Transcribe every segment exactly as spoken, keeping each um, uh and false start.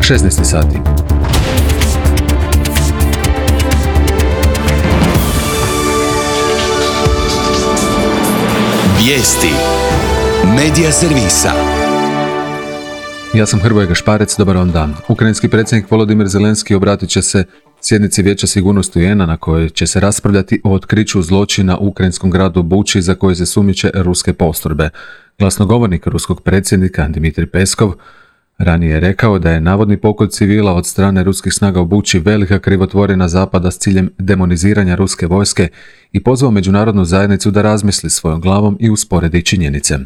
šesnaest sati. Vijesti Medija servisa. Ja sam Hrvoje Gašparec, dobar vam dan. Ukrajinski predsjednik Volodimir Zelenski obratit će se sjednici Vijeća sigurnosti U N A na kojoj će se raspravljati o otkriću zločina u ukrajinskom gradu Buči za koje se sumnjiče ruske postrojbe. Glasnogovornik ruskog predsjednika Dmitrij Peskov ranije je rekao da je navodni pokolj civila od strane ruskih snaga u Buči velika krivotvorina Zapada s ciljem demoniziranja ruske vojske i pozvao međunarodnu zajednicu da razmisli svojom glavom i usporedi činjenice.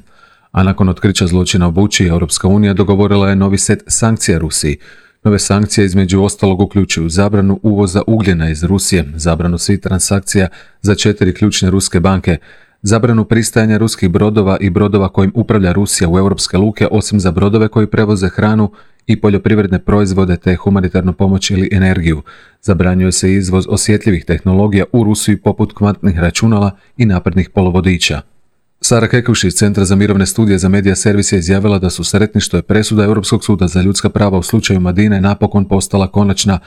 A nakon otkrića zločina u Buči, Europska unija dogovorila je novi set sankcija Rusiji. Nove sankcije između ostalog uključuju zabranu uvoza ugljena iz Rusije, zabranu svih transakcija za četiri ključne ruske banke, zabranu pristajanja ruskih brodova i brodova kojim upravlja Rusija u europske luke, osim za brodove koji prevoze hranu i poljoprivredne proizvode te humanitarnu pomoć ili energiju. Zabranjuje se izvoz osjetljivih tehnologija u Rusiju poput kvantnih računala i naprednih polovodiča. Sara Kekuš iz Centra za mirovne studije za Medija servis je izjavila da su sretni što je presuda Europskog suda za ljudska prava u slučaju Madine napokon postala konačna,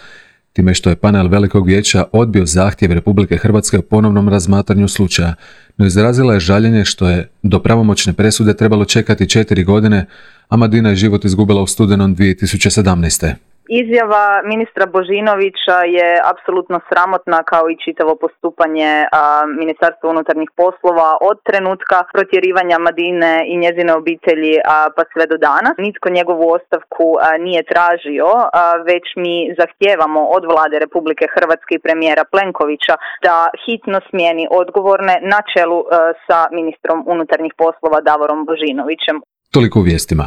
time što je panel Velikog vijeća odbio zahtjev Republike Hrvatske o ponovnom razmatranju slučaja, no izrazila je žaljenje što je do pravomoćne presude trebalo čekati četiri godine, a Madina je život izgubila u studenom dvije tisuće sedamnaeste. Izjava ministra Božinovića je apsolutno sramotna, kao i čitavo postupanje a, Ministarstva unutarnjih poslova od trenutka protjerivanja Madine i njezine obitelji a, pa sve do danas. Nitko njegovu ostavku a, nije tražio, a, već mi zahtijevamo od vlade Republike Hrvatske i premijera Plenkovića da hitno smijeni odgovorne na čelu a, sa ministrom unutarnjih poslova Davorom Božinovićem. Toliko u vijestima.